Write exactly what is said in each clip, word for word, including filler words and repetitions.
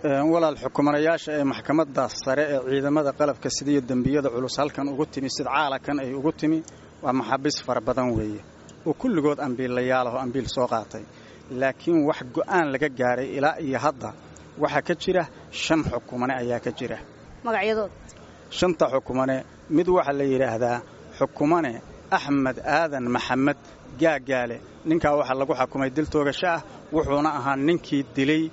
Walaal, xukumanayaasha ee maxkamadda sare ee ciidamada qalabka sidiiyo dembiyada culus halkan ugu timi, sida caalakan ay ugu timi, waa maxaabiis fara badan weeye oo kulligood ambiilayaal ah oo ambiil soo qaatay. Laakiin wax go'aan laga gaaray ilaa iyo hadda waxaa ka jira shan xukumane ayaa ka jira. Magacyadood? Shanta xukumane mid waxaa la yidhaahdaa xukumane Axmed Aadan Maxamed Gaagaale. Ninkaa waxaa lagu xukumay dil toogasho ah, wuxuuna ahaa ninkii dilay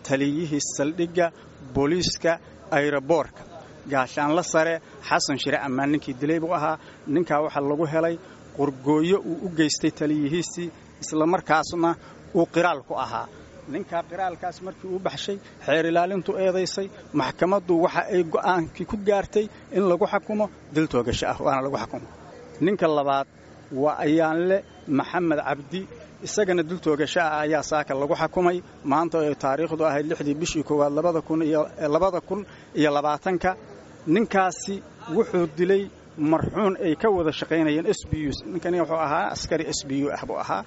taliyihii saldhigga booliiska ayroboorka, gaashaanla sare Xasan Shire Ammaan. Ninkii dilay buu ahaa. Ninkaa waxaa lagu helay qurgooyo uu u geystay taliyihiisii, islamarkaasna uu qiraal ku ahaa. Ninkaa qiraalkaas markii uu baxshay, xeer ilaalintu eedaysay, maxkamaddu waxa ay go'aankii ku gaartay in lagu xukumo dil toogasho ah, waana lagu xukumo. Ninka labaad waa Ayaanle Maxamed Cabdi. Isagana dil toogasho ah ayaa saaka lagu xukumay maanta oo taariikhdu ahayd lixdii bishii koowaad labada kun iyo labada kun iyo labaatanka. Ninkaasi wuxuu dilay marxuun ay ka wada shaqaynayeen S B U. Ninkani wuxuu ahaa askari S B U ah buu ahaa.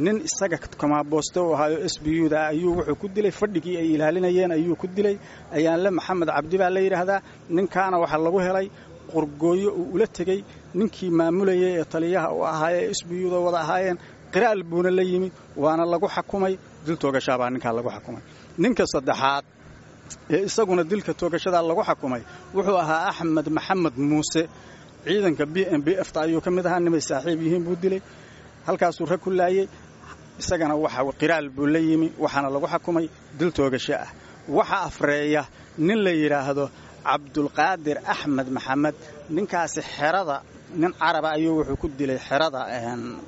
Nin isaga kamaabooste u ahaayo S B U da ayuu wuxuu ku dilay fadhigii ay ilaalinayeen ayuu ku dilay. Ayaanle Maxamed Cabdi baa la yidhaahdaa. Ninkaana waxaa lagu helay qurgooyo uu ula tegey ninkii maamulayay ee taliyaha u ahaayee S B U da wada ahaayeen. Qiraal buuna la yimi, waana lagu xakumay. Dil toogashaabaa ninkaa lagu xakumay. Ninka saddexaad ee isaguna dilka toogashada lagu xakumay wuxuu ahaa Axmed Maxamed Muuse. Ciidanka B M B F ta ayuu ka mid ahaa. Nimay saaxiib yihiin buu dilay, halkaasuu rag ku laayey. Isagana waxa qiraal buu la yimi, waxaana lagu xakumay dil toogasho ah. Waxa afreeya nin la yidhaahdo Cabdulqaadir Axmed Maxamed. Ninkaasi xerada nin caraba ayuu wuxuu ku dilay xerada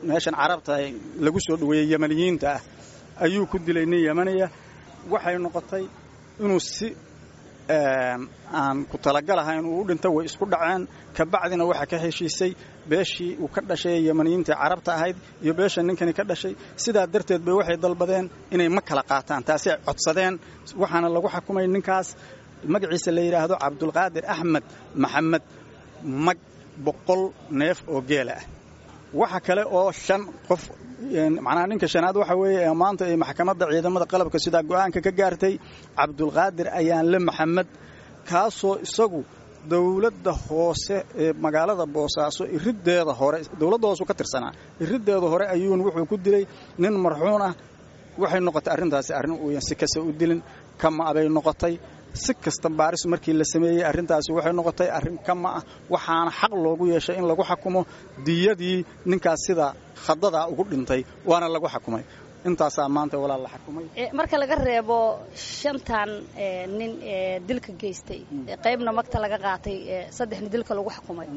meeshan carabta lagu soo dhoweeyey Yamaniyiinta ah ayuu ku dilay nin Yamaniya. Waxay noqotay inuu si aan ku talagalahayn uu u dhinto. Way isku dhaceen, kabacdina waxaa ka heshiisay beeshii uu ka dhashay ee Yamaniyiinta carabta ahayd iyo beesha ninkani ka dhashay. Sidaa darteed bay waxay dalbadeen inay ma kala qaataan, taasay codsadeen. Waxaana lagu xakumay ninkaas magaciisa la yidhaahdo Cabdulqaadir Axmed Maxamed mag boqol neef oo geela ah. Waxa kale oo shan qof, macnaha ninka shanaad waxa weeye ee maanta ay maxkamadda ciidamada qalabka sidaa go'aanka ka gaartay Cabdulqaadir Ayaanle Maxamed, kaasoo isagu dowladda hoose ee magaalada Boosaaso iriddeeda hore, dowladda hoose ka tirsanaa, iriddeeda hore ayuun wuxuu ku dilay nin marxuun ah. Waxay noqotay arrintaasi arrin uuyan si kasta u dilin, kama abay noqotay. Si kasta baaris markii la sameeyey, arrintaasi waxay noqotay arrin kama ah, waxaana xaq loogu yeeshay in lagu xakumo diyadii ninkaas sida khadadaa ugu dhintay, waana lagu xakumay. Intaasaa maanta, walaal, la xakumay. Marka laga reebo shantan nin ee dilka geystay, qaybna magta laga qaatay, saddexna dilka lagu xukumay,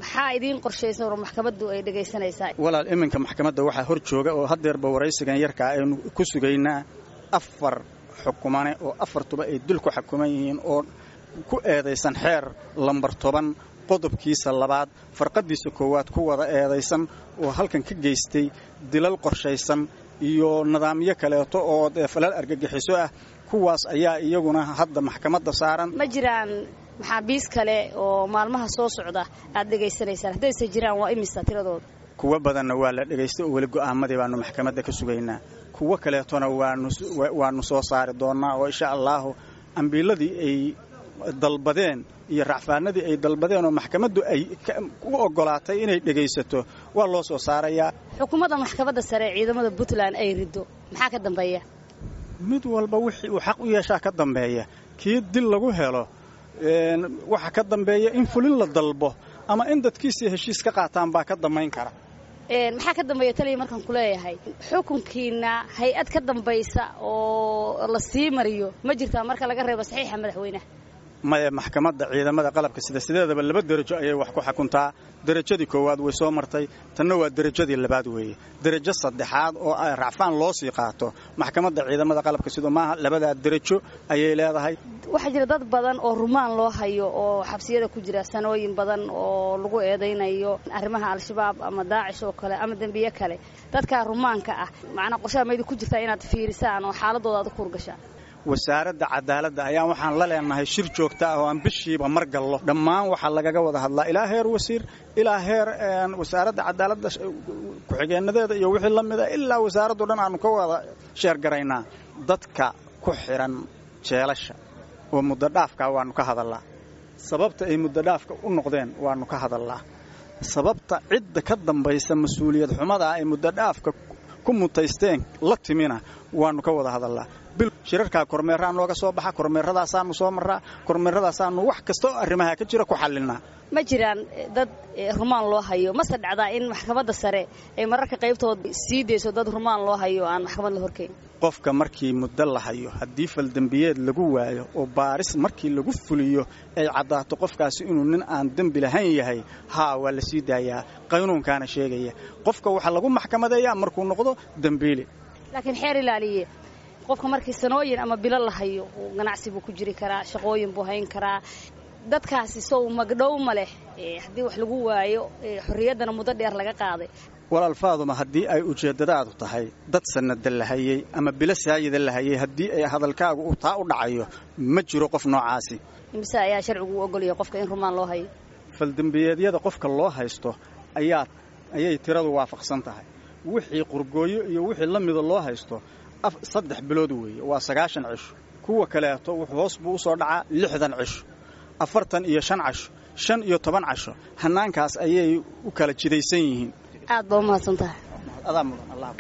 maxaa idiin qorshaysan oo maxkamaddu ay dhegaysanaysaa? Walaal, iminka maxkamadda waxaa hor jooga oo haddeerba waraysigan yarkaa aynu ku sugaynaa afar xukumane oo afartuba ay dil ku xukuman yihiin oo ku eedaysan xeer lambar toban qodobkiisa labaad farqadiisa koowaad ku wada eedaysan, oo halkan ka geystay dilal qorshaysan iyo nidaamyo kaleeto oo falal argagixiso ah. Kuwaas ayaa iyaguna hadda maxkamadda saaran. Ma jiraan maxaabiis kale oo maalmaha soo socda aad dhegaysanaysaan? Haddayse jiraan, waa imisa tiradooda? Kuwo badanna waa la dhegaystay oo weli go'aamadii baanu maxkamadda ka sugaynaa. Kuwo kaleetona waanu waanu soo saari doonnaa oo insha allaahu ambiiladii ay dalbadeen iyo racfaanadii ay dalbadeen oo maxkamaddu ay u oggolaatay inay dhegaysato waa loo soo saarayaa. Xukuumadda maxkamadda sare ee ciidamada Puntland ay riddo, maxaa ka dambeeya? Mid walba wixii uu xaq u yeeshaa ka dambeeya. Kii dil lagu helo waxa ka dambeeya in fulin la dalbo ama in dadkiisii heshiis ka qaataan baa ka dambayn kara. Maxaa ka dambeeya, taliya, markaan ku leeyahay xukunkiina hay-ad ka dambaysa oo la sii mariyo ma jirtaa, marka laga reebo saxiixa madaxweynaha? Maya, maxkamadda ciidamada qalabka sida sideedaba laba derajo ayay wax ku xakuntaa. Derajadii koowaad way soo martay, tanna waa derajadii labaad weeye. Derajo saddexaad oo racfaan loo sii qaato maxkamadda ciidamada qalabka sido maaha. Labadaa derajo ayay leedahay. Waxaa jira dad badan oo rumaan loo hayo oo xabsiyada ku jira sanooyin badan oo lagu eedaynayo arrimaha Al-Shabaab ama Daacish oo kale ama dembiye kale. Dadkaa rumaanka ah, macnaa qorshaha maydi ku jirtaa inaad fiirisaan oo xaaladooda aad u kuurgashaan? Wasaaradda cadaaladda ayaan waxaan la leenahay shir joogta ah oo aan bishiiba mar gallo. Dhammaan waxaa lagaga wada hadlaa ilaa heer wasiir, ilaa heer wasaaradda cadaaladda ku-xigeenadeeda iyo wixii la mida, ilaa wasaaraddo dhan aanu ka wada sheergaraynaa dadka ku xiran Jeelasha oo muddo dhaafkaa waannu ka hadallaa, sababta ay muddo dhaafka u noqdeen waannu ka hadallaa, sababta cidda ka dambaysa mas-uuliyad xumadaa ay muddo dhaafka ku mutaysteen la timina waannu ka wada hadallaa. Bil shirarkaa kormeeraa nooga soo baxa, kormeeradaasaanu soo marraa, kormeeradaasaanu wax kasta oo arrimaha ka jira ku xallinaa. Ma jiraan dad rumaan loo hayo? Mase dhacdaa in maxkamadda sare ay mararka qaybtood sii dayso dad rumaan loo hayo aan maxkamad la horkeyn? Qofka markii muddo la hayo, haddii faldembiyeed lagu waayo oo baaris markii lagu fuliyo ay caddaato qofkaasi inuu nin aan dembi lahayn yahay, haa, waa la sii daayaa. Qaynuunkaana sheegaya qofka waxaa lagu maxkamadeeyaa markuu noqdo dembiile. Laakiin xeer ilaaliye, qofka markii sanooyin ama bilo la hayo, ganacsi buu ku jiri karaa, shaqooyin buu hayn karaa. Dadkaasi sow magdhow ma leh haddii wax lagu waayo, xorriyaddana muddo dheer laga qaaday? Walaal Faaduma, haddii ay ujeeddadaadu tahay dad sanada la hayey ama bilo saayida la hayey, haddii ay hadalkaagu uu taa u dhacayo, ma jiro qof noocaasi. Imise ayaa sharcigu u ogolyahay qofka in rumaan loo hayo? Faldembiyeedyada qofka loo haysto ayaa ayay tiradu waafaqsan tahay. Wixii qurgooyo iyo wixii la mida loo haysto saddex bilood weeye, waa sagaashan cisho. Kuwa kaleeto wuxuu hoos buu usoo dhacaa lixdan cisho, afartan iyo shan casho, shan iyo toban casho. Hannaankaas ayay u kala jidaysan yihiin. Aad baa u mahadsan tahay. Adaa mudan, Allah.